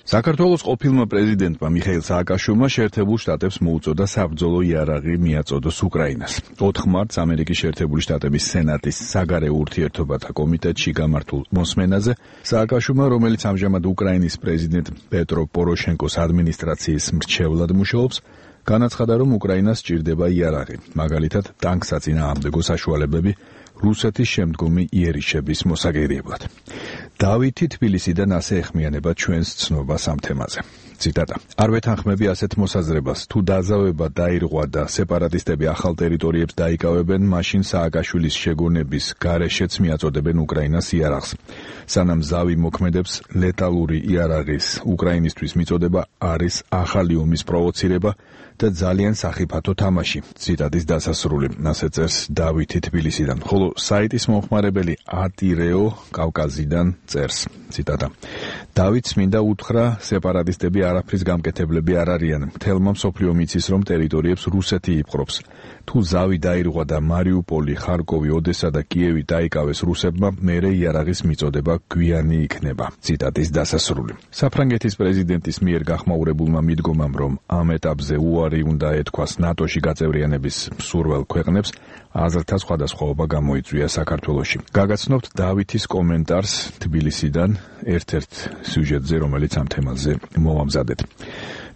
საქართველოს ყოფილმა პრეზიდენტმა მიხეილ სააკაშვილმა შეერთებულ შტატებს მოუწოდა საბრძოლო იარაღი მიაწოდოს უკრაინას. 4 მარტს ამერიკის შეერთებული შტატების სენატის საგარეო ურთიერთობათა კომიტეტში გამართულ მოსმენაზე სააკაშვილმა, რომელიც ამჟამად უკრაინის პრეზიდენტ პეტრო პოროშენკოს ადმინისტრაციის მრჩევლად მუშაობს, განაცხადა, რომ უკრაინას სჭირდება იარაღი, მაგალითად ტანკსაწინააღმდეგო საშუალებები რუსეთის შემდგომი იერიშების მოსაგერიებლად. დავითი თბილისიდან ასე ეხმიანება ჩვენს ცნობას ამ თემაზე. ციტატა: არ ვეთანხმები ასეთ მოსაზრებას, თუ დაზავება დაირღვა და სეპარატისტები ახალ ტერიტორიებს დაიკავებენ, მაშინ სააკაშვილის შეგონების გარეშეც მიაწოდებენ უკრაინას იარაღს. სანამ ზავი მოქმედებს, ლეტალური იარაღის უკრაინისთვის მიწოდება არის ახალი ომის პროვოცირება და ძალიან სახიფათო თამაში. ციტატის დასასრული, ასე წერს დავითი თბილისიდან, ხოლო საიტის მომხმარებელი ატირეო კავკაზიდან წერს. ციტატა: დავითს მინდა უთხრა, სეპარატისტები არაფრის გამკეთებლები არ არიან. მთელმა მსოფლიომ იცის, რომ ტერიტორიებს რუსეთი იპყრობს. თუ ზავი დაირღვა და მარიუპოლი, ხარკოვი, ოდესა და კიევი დაიკავეს რუსებმა, მერე იარაღის მიწოდება გვიანი იქნება. ციტატის დასასრული. საფრანგეთის პრეზიდენტის მიერ გახმაურებულმა მიდგომამ, რომ ამ ეტაპზე უარი უნდა ეთქვას ნატოში გაწევრიანების მსურველ ქვეყნებს, აზრთა სხვადასხვაობა გამოიწვია საქართველოში. გაგაცნობთ დავითის კომენტარს თბილისიდან ერთ-ერთ სიუჟეტზე, რომელიც ამ თემაზე მოვამზადეთ.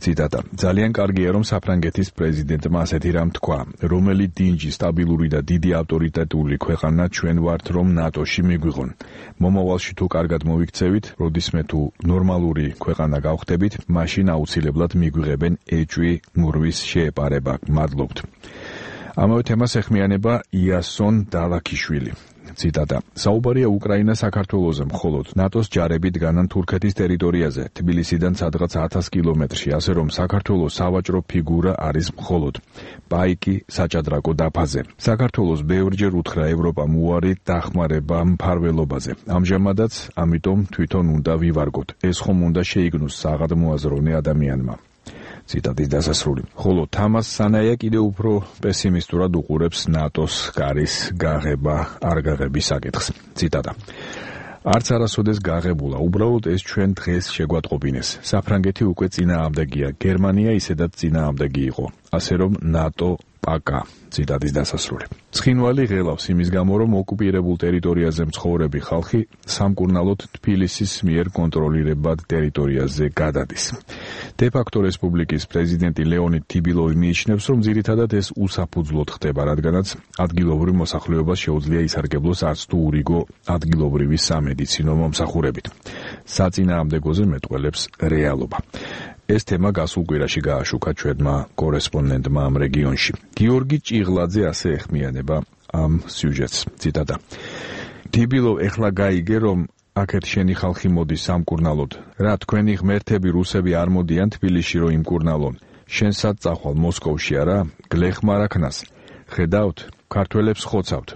ციტატა: ძალიან კარგია, რომ საფრანგეთის პრეზიდენტმა ასეთი რამ თქვა, რომელი დინჯი, სტაბილური და დიდი ავტორიტეტული ქვეყანა ჩვენ ვართ, რომ ნატოში მიგვიღონ. მომავალში თუ კარგად მოვიქცევით, როდისმე თუ ნორმალური ქვეყანა გავხდებით, მაშინ აუცილებლად მიგვიღებენ ეჭვი მურვის შეეპარება. მადლობთ. ამავე თემას ეხმიანება იასონ დალაქიშვილი. ციტატა: საუბარია უკრაინა საქართველოზე მხოლოდ ნატოს ჯარები დგანან თურქეთის ტერიტორიაზე, თბილისიდან სადღაც 1000 კილომეტრში, ასე რომ საქართველოს სავაჭრო ფიგურა არის მხოლოდ პაიკი საჭადრაკო დაფაზე. საქართველოს ბევრჯერ უთხრა ევროპამ უარი დახმარება მფარველობაზე. ამჟამადაც ამიტომ თვითონ უნდა ვივარგოთ. ეს ხომ უნდა შეიგნოს საღადმოაზროვნე ადამიანმა. ციტატის დასასრული. ხოლო თამას სანაია კიდევ უფრო პესიმისტურად უყურებს ნატოს კარის გაღება არ გაღების საკითხს. ციტატა: არც არასოდეს გაღებულა, უბრალოდ ეს ჩვენ დღეს შეგვატყობინეს. საფრანგეთი უკვე წინააღმდეგია, გერმანია ისედაც წინააღმდეგი იყო, ასე რომ ნატო პაკა. ციტატის დასასრული. ცხინვალი ღელავს იმის გამო, რომ ოკუპირებულ ტერიტორიაზე მცხოვრები ხალხი სამკურნალოდ თბილისის მიერ კონტროლირებად ტერიტორიაზე გადადის. დე-ფაქტო რესპუბლიკის პრეზიდენტი ლეონიდ თიბილოვი მიიჩნევს, რომ ძირითადად ეს უსაფუძვლოდ ხდება, რადგანაც ადგილობრივ მოსახლეობას შეუძლია ისარგებლოს არც თუ ურიგო ადგილობრივი სამედიცინო მომსახურებით. საწინააღმდეგოზე მეტყველებს რეალობა. ეს თემა გასულ კვირაში გააშუქა ჩვენმა კორესპონდენტმა ამ რეგიონში. გიორგი ჭიღლაძე ასე ეხმიანება ამ სიუჟეტს. ციტატა: თიბილოვ, ეხლა გაიგე, რომ აქეთ შენი ხალხი მოდის სამკურნალოდ. რა, თქვენი ღმერთები რუსები არ მოდიან თბილისში, რომ იმკურნალონ. შენ სად წახვალ, მოსკოვში არა? გლეხმარ აქნას. ხედავთ, ქართველებს ხოცავთ.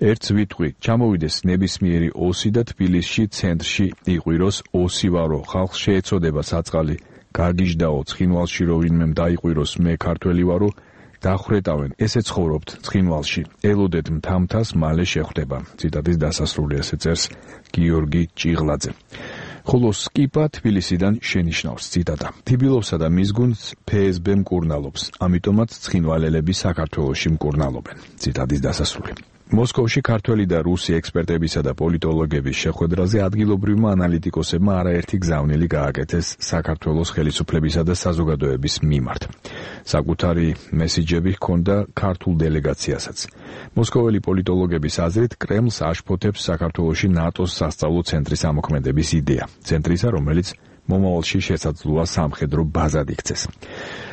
ერთს ვიტყვი, ჩამოვიდეს ნებისმიერი ოსი და თბილისში ცენტრში იყვიროს ოსი ვარო, ხალხს შეეცოდება საწყალი. გაგიჟდაო, ცხინვალში რო ვინმემ დაიყვიროს, მე ქართველი ვარო, დახრეტავენ, ესე ცხოვრობთ ცხინვალში, ელოდეთ მთამთას, მალე შეხვდება. ციტატის დასასრული, ესე წერს გიორგი ჭიღლაძე. ხოლო სკიპა თბილისიდან შენიშნავს. ციტატა: თიბილოვსა და მის გუნდს ფსბ მკურნალობს, ამიტომაც ცხინვალელები საქართველოში მკურნალობენ. ციტატის დასასრული. მოსკოვში ქართველი და რუსი ექსპერტებისა და პოლიტოლოგების შეხვედრაზე ადგილობრივმა ანალიტიკოსებმა არაერთი გზავნილი გააკეთეს საქართველოს ხელისუფლებისა და საზოგადოების მიმართ. საკუთარი მესიჯები ჰქონდა ქართულ დელეგაციასაც. მოსკოველი პოლიტოლოგების აზრით, კრემლს აშფოთებს საქართველოში ნატოს სასწავლო ცენტრის ამოქმედების იდეა. ცენტრისა, რომელიც მომავალში შესაძლოა სამხედრო ბაზად იქცეს.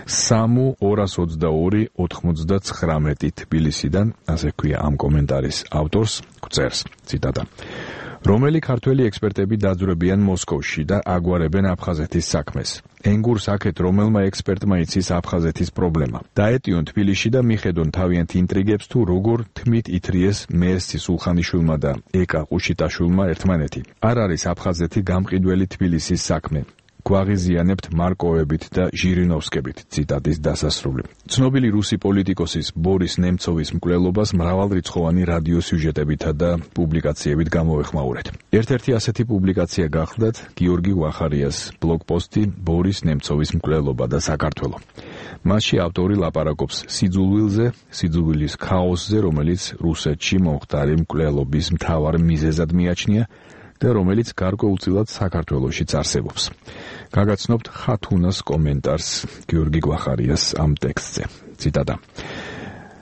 სამუ 222-99 თბილისიდან, ასე ქვია ამ კომენტარის ავტორს, გვწერს. ციტატა: რომელი ქართველი ექსპერტები დაძვრებიან მოსკოვში და აგვარებენ აფხაზეთის საქმეს. ენგურს აქეთ რომელმა ექსპერტმა იცის აფხაზეთის პრობლემა. დაეტიონ თბილისში და მიხედონ თავიანთ ინტრიგებს თუ როგორ თმით ითრიეს მერსი სულხანიშვილმა და ეკა ყუშიტაშვილმა ერთმანეთი. არ არის აფხაზეთი გამყიდველი თბილისის საქმე. გვაღიზიანებთ მარკოვებით და ჟირინოვსკებით. ციტატის დასასრული. ცნობილი რუსი პოლიტიკოსის ბორის ნემცოვის მკვლელობას მრავალრიცხოვანი რადიო სიუჟეტებითა და პუბლიკაციებით გამოვეხმაურეთ. ერთ-ერთი ასეთი პუბლიკაცია გახლდათ გიორგი ვახარიას ბლოგპოსტი ბორის ნემცოვის მკვლელობა და საქართველო. მასში ავტორი ლაპარაკობს სიძულვილზე, სიძულვილის ქაოსზე, რომელიც რუსეთში მომხდარი მკვლელობის მთავარ მიზეზად მიაჩნია და რომელიც გარკვეულწილად საქართველოშიც არსებობს. გაგაცნობთ ხათუნას კომენტარს გიორგი ვახარიას ამ ტექსტზე. ციტატა.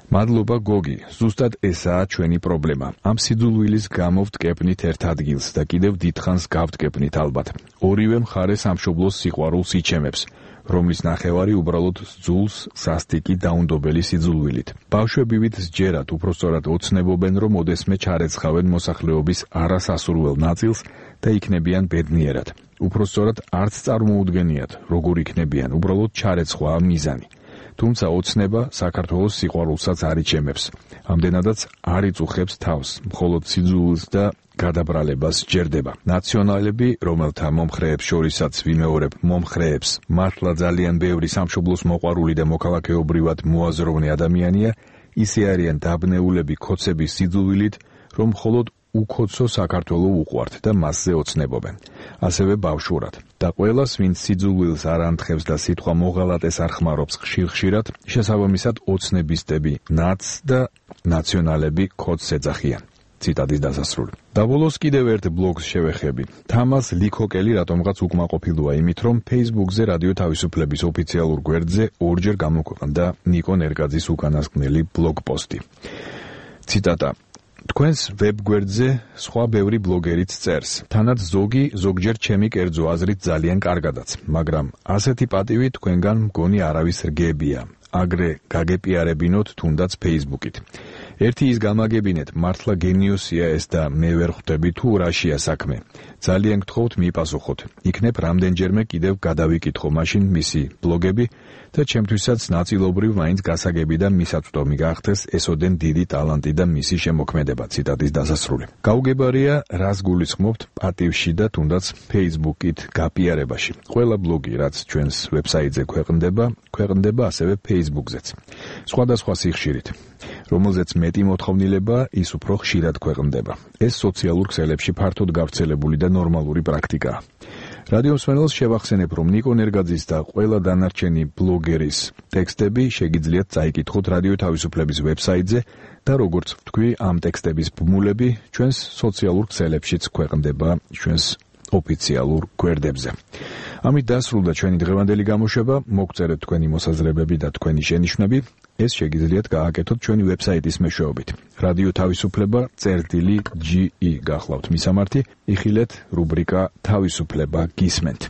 მადლობა გოგი, ზუსტად ესაა ჩვენი პრობლემა. ამ სიძულვილის გამო ვტკეპნით ერთ ადგილს და კიდევ დიდხანს გავტკეპნით ალბათ. ორივე მხარე სამშობლოს სიყვარულს იჩემებს, რომლის ნახევარი უბრალოდ ძულს სასტიკი დაუნდობელი სიძულვილით. ბავშვებივით სჯერათ, უпростоრად ოცნებობენ, რომ ოდესმე ჩარეცხავენ მოსახლეობის არასასურველ ნაწილს და იქნებიან ბედნიერად. უпростоრად არც წარმოუდგენიათ, როგორ იქნებიან, უბრალოდ ჩარეცხვაა მიზანი. თუმცა ოცნება საქართველოს სიყვარულსაც არ იჩემებს. ამდენადაც არ იწუხებს თავს, მხოლოდ სიძულვილს და გადაბრალებას სჯერდება. ნაციონალები, რომელთა მომხრეებს შორისაც ვიმეორებ მომხრეებს, მართლა ძალიან ბევრი სამშობლოს მოყვარული და მოქალაქეობრივად მოაზროვნე ადამიანია, ისე არიან დაბნეულები ქოცების სიძულვილით, რომ მხოლოდ უკოცო საქართველო უყვართ და მასზე ოცნებობენ. ასევე ბავშვურად. და ყველას, ვინც სიძულვილს არ ანთხევს და სიტყვა მოღალატეს არ ხმარობს ხშირ-ხშირად, შესაბამისად ოცნებისტები ნაც და ნაციონალები ქოცს ეძახიან. ციტატის დასასრული. დაბოლოს კიდევ ერთ ბლოგს შევეხები. თამას ლიქოკელი რატომღაც უკმაყოფილოა იმით, რომ Facebook-ზე რადიო თავისუფლების ოფიციალურ გვერდზე ორჯერ გამოქვეყნდა ნიკო ნერგაძის უკანასკნელი ბლოგპოსტი. ციტატა. თქვენს ვებგვერდზე სხვა ბევრი ბლოგერიც წერს. თანაც ზოგჯერ ჩემი კერძო აზრით ძალიან კარგადაც, მაგრამ ასეთი პატივი თქვენგან მგონი არავის რგებია. აგრე გაგეპიარებინოთ თუნდაც Facebook-ით. ერთი ის გამაგებინეთ, მართლა გენიოსია ეს და მე ვერ ხვდები თუ რაშია საქმე. ძალიან გთხოვთ მიპასუხოთ. იქნებ რამდენჯერმე კიდევ გადავიკითხო მაშინ მისი ბლოგები და ჩემთვისაც ნაწილობრივ მაინც გასაგები და მისაწვდომი გახდეს ესოდენ დიდი ტალანტი და მისი შემოქმედება. ციტატის დასასრული. გაუგებარია, რას გულისხმობთ პატივში და თუნდაც Facebook-ით გაპიარებაში. ყველა ბლოგი, რაც ჩვენს ვებსაიტზე ქვეყნდება ასევე Facebook-ზეც. სხვადასხვა სიხშირით. რომელზეც მეტი მოთხოვნილება, ის უფრო ხშირად ქვეყნდება. ეს სოციალურ ქსელებში ფართოდ გავრცელებული და ნორმალური პრაქტიკაა. რადიო მსმენელს შევახსენებ, რომ ნიკო ნერგაძის და ყველა დანარჩენი ბლოგერის ტექსტები შეგიძლიათ წაიკითხოთ რადიო თავისუფლების ვებსაიტზე და როგორც ვთქვი, ამ ტექსტების ბმულები ჩვენს სოციალურ ქსელებშიც ქვეყნდება ჩვენს ოფიციალურ გვერდებზე. ამით დასრულდა ჩვენი დღევანდელი გამოშვება. მოგწერეთ თქვენი მოსაზრებები და თქვენი შენიშვნები. ეს შეგიძლიათ გააკეთოთ ჩვენი ვებსაიტის მეშვეობით. რადიო თავისუფლება წერტილი.ge გახლავთ მისამართი. იხილეთ რუბრიკა თავისუფლება გისმენთ.